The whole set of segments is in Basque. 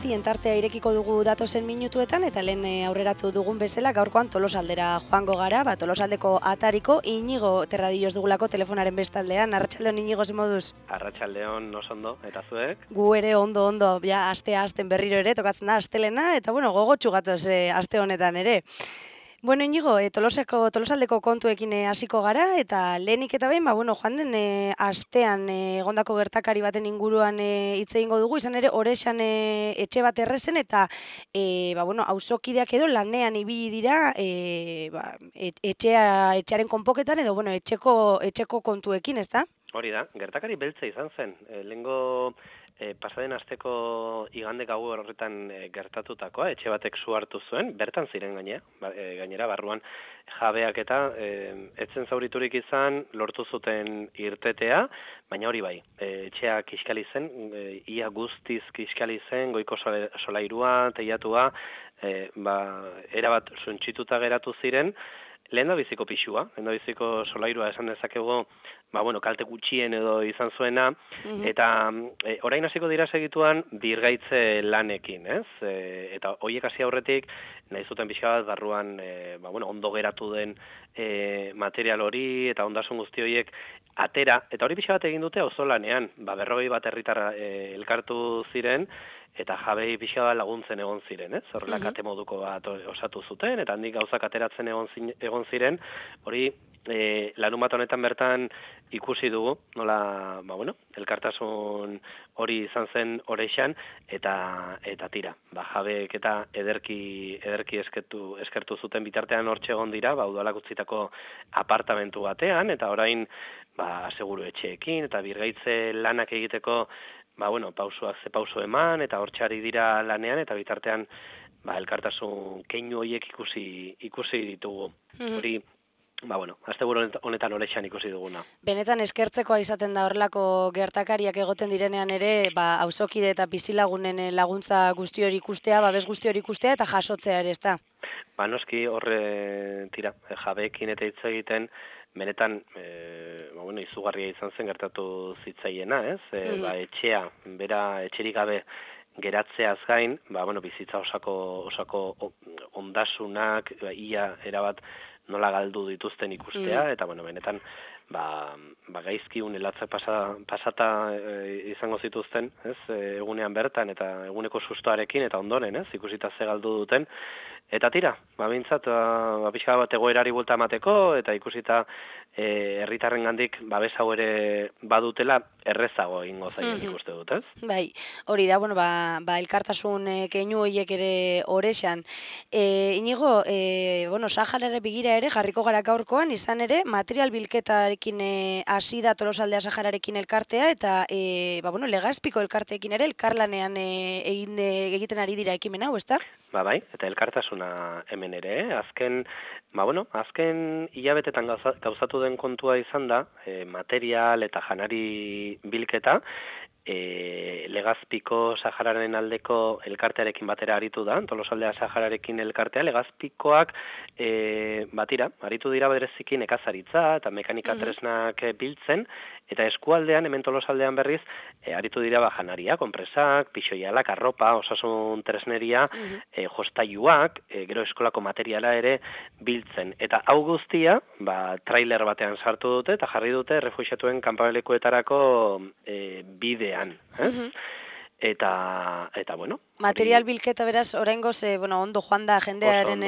irratien tartea irekiko dugu datozen minutuetan, eta lehen aurreratu dugun bezala gaurkoan Tolosaldera joango gara, Tolosaldeko atariko Inigo Terradillos dugulako telefonaren bestaldean. Arratsaldeon Inigo, ze moduz? Arratsaldeon, oso ondo, eta zuek? Gu ere ondo, ja astea hasten berriro ere, tokatzen da astelena, eta gogotsu gatoz aste honetan ere. Bueno, Inigo, Tolosaldeko kontuekin hasiko gara, eta lehenik eta behin, joan den astean egondako gertakari baten inguruan hitz egingo dugu, izan ere, Orexan etxe bat errezen, eta auzokideak edo lanean ibili dira etxearen konpoketan, edo etxeko kontuekin, ezta? Hori da, gertakari beltza izan zen. Lehengo pasaden asteko igande gau horretan gertatutakoa, etxe batek su hartu zuen, bertan ziren gainera, barruan jabeak eta etzen zauriturik izan, lortu zuten irtetea, baina hori bai, etxea kiskali zen, ia guztiz kiskali zen, goiko solairua, teiatua, erabat suntsituta geratu ziren, lehendabiziko pixua, lehendabiziko solairua esan dezakegu, kalte gutxien edo izan zuena, eta orain hasiko dira segituan birgaitze lanekin, ez? Eta horiek hasi aurretik, nahi zuten pixka bat, barruan ondo geratu den material hori, eta ondasun guzti horiek atera, eta hori pixka bat egin dute auzolanean, 40 bat herritar elkartu ziren, eta jabei pixka bat laguntzen egon ziren, ez? Horrela kate moduko bat osatu zuten, eta handik gauzak ateratzen egon ziren, hori larunbat honetan bertan ikusi dugu, nola, elkartasun hori izan zen Orexan, eta tira, jabeek eta ederki eskertu zuten bitartean hortxe egon dira, udalak utzitako apartamentu batean, eta orain, aseguru etxeekin, eta birgaitze lanak egiteko, pausuak ze pausu eman, eta hortxari dira lanean, eta bitartean, elkartasun keinu horiek ikusi ditugu. Hori, asteburu honetan Orexan ikusi duguna. Benetan eskertzekoa izaten da horrelako gertakariak egoten direnean ere, auzokide eta bizilagunen laguntza guzti hori ikustea, babes guzti hori ikustea eta jasotzea ere, ezta? Noski horre, jabeekin eta hitz egiten, benetan, izugarria izan zen gertatu zitzaiena, ez? Etxea, bera etxerik gabe geratzeaz gain, bizitza osako ondasunak, ia erabat nola galdu dituzten ikustea, eta benetan, gaizki unelatzak pasata izango zituzten, ez? Egunean bertan, eta eguneko sustoarekin, eta ondoren, ez? Ikusita ze galdu duten, eta tira, bintzat, pixka bat egoerari bulta emateko, eta ikusita herritarren gandik babes hau ere badutela errezago egingo zaien ikuste dut, ez? Bai, hori da, elkartasun keinu horiek ere Orexan. Inigo, Saharara begira ere jarriko gara gaurkoan, izan ere, material bilketarekin hasi da Tolosaldea Sahararekin elkartea, eta Legazpiko elkarteekin ere elkarlanean egiten ari dira ekimen hau, ezta? Bai, eta elkartasuna hemen ere, azken hilabetetan gauzatu den kontua izan da, material eta janari bilketa, Legazpiko Sahararen aldeko elkartearekin batera aritu da, Tolosaldea Sahararekin elkartea, Legazpikoak aritu dira bereziki nekazaritza eta mekanika tresnak biltzen, eta eskualdean, hemen Tolosaldean berriz, aritu dira janaria, konpresak, pixoialak, arropa, osasun tresneria, jostailuak, gero eskolako materiala ere biltzen. Eta hau guztia, trailer batean sartu dute, eta jarri dute refuxiatuen kanpamentuetarako bidean. Eta material bilketa beraz, oraingoz, ondo joan da jendearen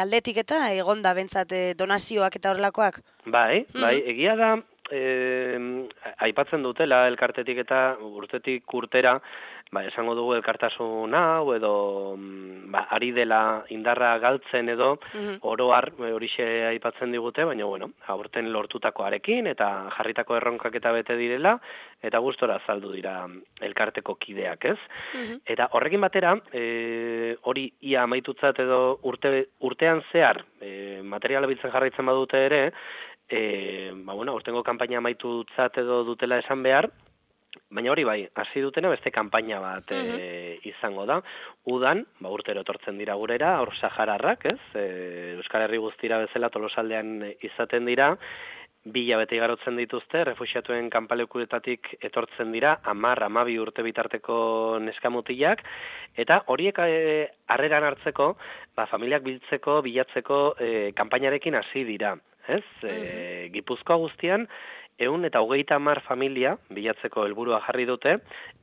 aldetik eta egon da bentsat donazioak eta horrelakoak? Bai, egia da, aipatzen dutela elkartetik eta urtetik urtera, esango dugu elkartasun hau edo ari dela indarra galtzen edo oroar horixe aipatzen digute, baina aurten lortutakoarekin eta jarritako erronkak eta bete direla eta gustora azaldu dira elkarteko kideak, ez? Eta horrekin batera, hori ia amaitutzat edo urtean zehar materiala biltzen jarraitzen badute ere, aurtengo kanpaina amaitutzat edo dutela esan behar, baina hori bai, hasi dutena beste kanpaina bat izango da. Udan, urtero etortzen dira gurera, hor sahararrak, ez? Euskal Herri guztira bezala Tolosaldean izaten dira, hilabete igarotzen dituzte, refuxiatuen kanpalekuetatik etortzen dira, 10-12 urte bitarteko neskamutilak, eta horiek harreran hartzeko, familiak bilatzeko kanpainarekin hasi dira. Ez? Gipuzkoa guztian, 130 familia bilatzeko helburua jarri dute,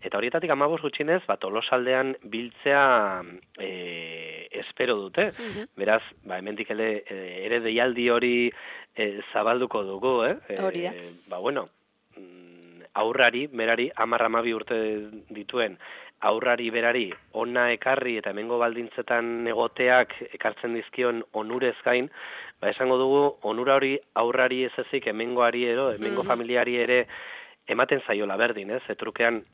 eta horietatik 15 gutxinez, Tolosaldean biltzea espero dute. Beraz, hemendik ere deialdi hori zabalduko dugu, Hori da. Aurrari, berari, 10-12 urte dituen, aurrari berari ona ekarri eta hemengo baldintzetan egoteak ekartzen dizkion onurez gain, esango dugu onura hori aurrari ez ezik hemengoari hemengo familiari ere ematen zaiola berdin, trukean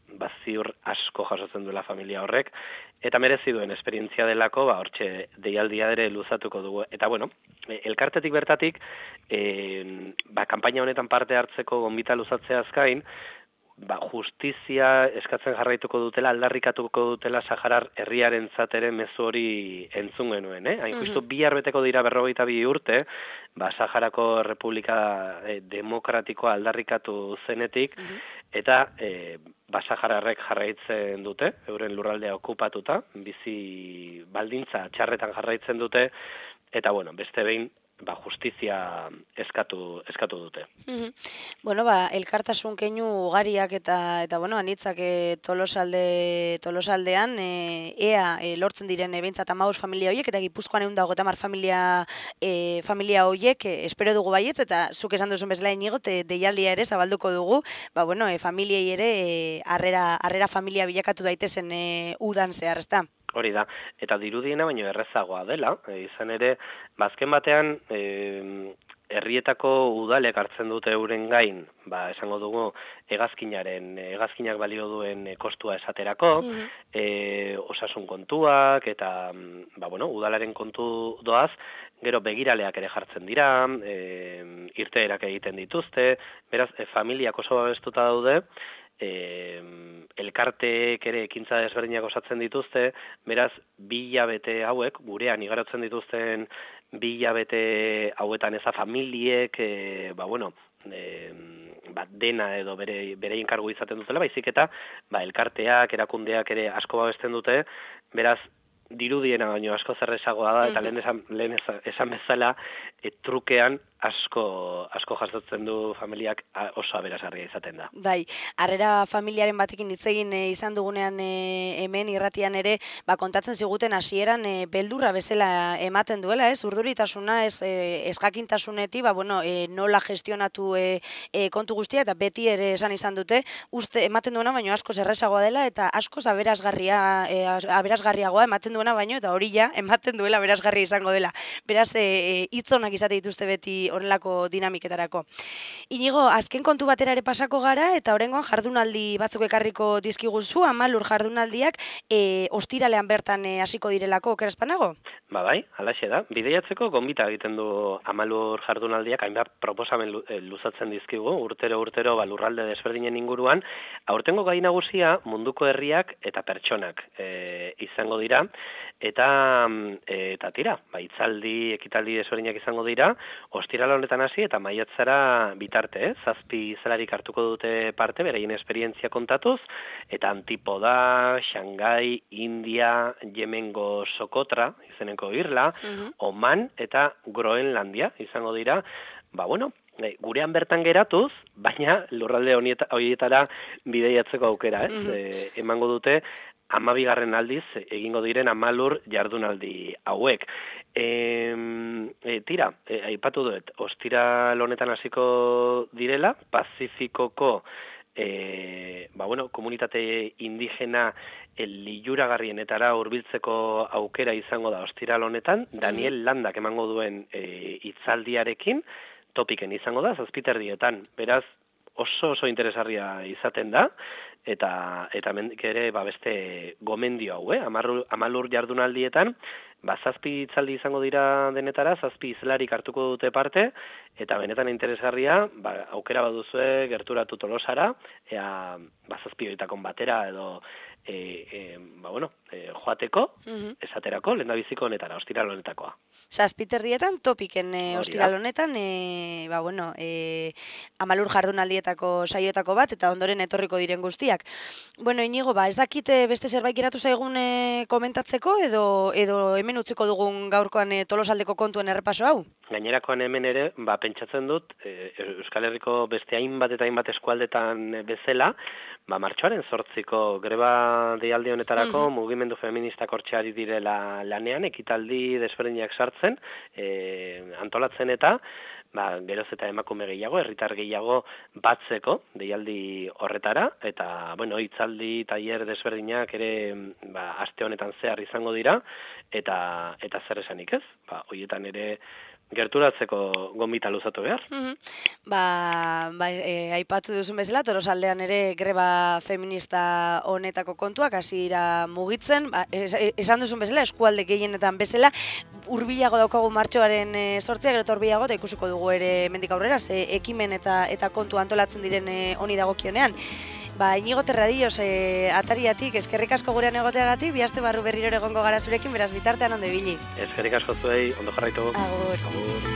ziur asko jasotzen duela familia horrek, eta merezi duen esperientzia delako, hortxe deialdia ere luzatuko dugu. Eta elkartetik bertatik, kanpaina honetan parte hartzeko gonbita luzatzeaz gain, justizia eskatzen jarraituko dutela, aldarrikatuko dutela Saharar herriaren ere mezu hori entzun genuen. Hain justu 2 beteko dira 42 urte, Saharako Republika Demokratikoa aldarrikatu zenetik, eta Sahararrek jarraitzen dute, euren lurraldea okupatuta, bizi baldintza txarretan jarraitzen dute, eta beste behin, justizia eskatu dute. Elkartasun keinu ugariak eta anitzak Tolosaldean ea lortzen diren behintzat 15 familia horiek, eta Gipuzkoan 130 familia horiek espero dugu baietz, eta zuk esan duzun bezala Inigo, deialdia ere zabalduko dugu, familiei ere harrera familia bilakatu daitezen udan zehar, ezta? Hori da, eta dirudiena baino errezagoa dela, izan ere, azken batean, herrietako udalek hartzen dute euren gain, esango dugu, hegazkinak balio duen kostua esaterako, osasun kontuak, eta, udalaren kontu doaz, gero begiraleak ere jartzen dira, irteerak egiten dituzte, beraz, familiak oso babestuta daude, elkarteek ere ekintza desberdinak osatzen dituzte, beraz, 2 hilabete hauek, gurean igarotzen dituzten 2 hilabete hauetan eza familiek, dena edo berein kargu izaten dutela, baizik eta elkarteak, erakundeak ere asko babesten dute, beraz, dirudiena baino asko zerrezagoa da, eta lehen esan bezala, trukean asko jasotzen du familiak oso aberasgarria izaten da. Bai, harrera familiaren batekin hitz egin izan dugunean hemen irratian ere, kontatzen ziguten hasieran beldurra bezala ematen duela, urduritasuna, ezjakintasunetik, nola gestionatu kontu guztia, eta beti ere esan izan dute, ematen duena baino asko errazagoa dela, eta asko aberasgarriagoa ematen duena baino, eta hori ja, ematen duela aberasgarria izango dela. Beraz, hitzonak izate dituzte beti horrelako dinamiketarako. Inigo, azken kontu batera ere pasako gara, eta oraingoan jardunaldi batzuk ekarriko dizkiguzu, 10 jardunaldiak ostiralean bertan hasiko direlako, okerespanago? Bai, halaxe da. Bideiatzeko gonbita egiten du 10 jardunaldiak, hainbat proposamen luzatzen dizkigu, urtero lurralde desberdinen inguruan. Aurtengo gai nagusia munduko herriak eta pertsonak izango dira, eta tira, hitzaldi, ekitaldi desberdinak izango dira, ostiral honetan hasi eta maiatzara bitarte, 7 zelarik hartuko dute parte, beraien esperientzia kontatuz, eta Antipoda, Shanghai, India, Yemengo Sokotra, izeneko Irla, Oman eta Groenlandia izango dira, gurean bertan geratuz, baina lurralde horietara bideiatzeko aukera, emango dute 12. aldiz egingo diren 10 jardunaldi hauek. Tira, aipatu duet, ostiral honetan hasiko direla, Pazifikoko komunitate indigena liluragarrienetara hurbiltzeko aukera izango da ostiral honetan, Daniel Landak emango duen hitzaldiarekin, topiken izango da, 7:00. Beraz, oso interesgarria izaten da, eta mendik ere beste gomendio hau, 10 jardunaldietan, 7 hitzaldi izango dira denetara, 7 izelarik hartuko dute parte, eta benetan interesgarria, aukera baduzue gerturatu Tolosara, ea 7 horietako batera edo joateko, esaterako, lehendabiziko honetara, ostiral honetakoa. 7:30 topiken ostiral honetan, Amalur jardunaldietako saioetako bat, eta ondoren etorriko diren guztiak. Bueno, Inigo, ez dakit beste zerbait geratu zaigun komentatzeko, edo hemen utziko dugun gaurkoan Tolosaldeko kontuen errepaso hau? Gainerakoan hemen ere, pentsatzen dut, Euskal Herriko beste hainbat eta hainbat eskualdetan bezala, martxoaren 8ko greba deialdi honetarako mugimendu feministak hortxe direla lanean, ekitaldi desberdinak sartzen, antolatzen eta geroz eta emakume gehiago, herritar gehiago batzeko deialdi horretara, eta, hitzaldi, tailer desberdinak ere aste honetan zehar izango dira, eta zer esanik ez, horietan ere gerturatzeko gonbita luzatu behar. Aipatu duzun bezala, Tolosaldean ere greba feminista honetako kontuak hasi dira mugitzen, esan duzun bezala, eskualde gehienetan bezala, hurbilago daukagu martxoaren 8, gero hurbilago, eta ikusiko dugu ere mendik aurrera, ekimen eta kontu antolatzen diren honi dagokionean. Inigo Terradillos, atariatik, eskerrik asko gurean egoteagatik, bi aste barru berriro egongo gara zurekin, beraz bitartean ondo ibili. Eskerrik asko zuei, ondo jarraitu. Agur. Agur.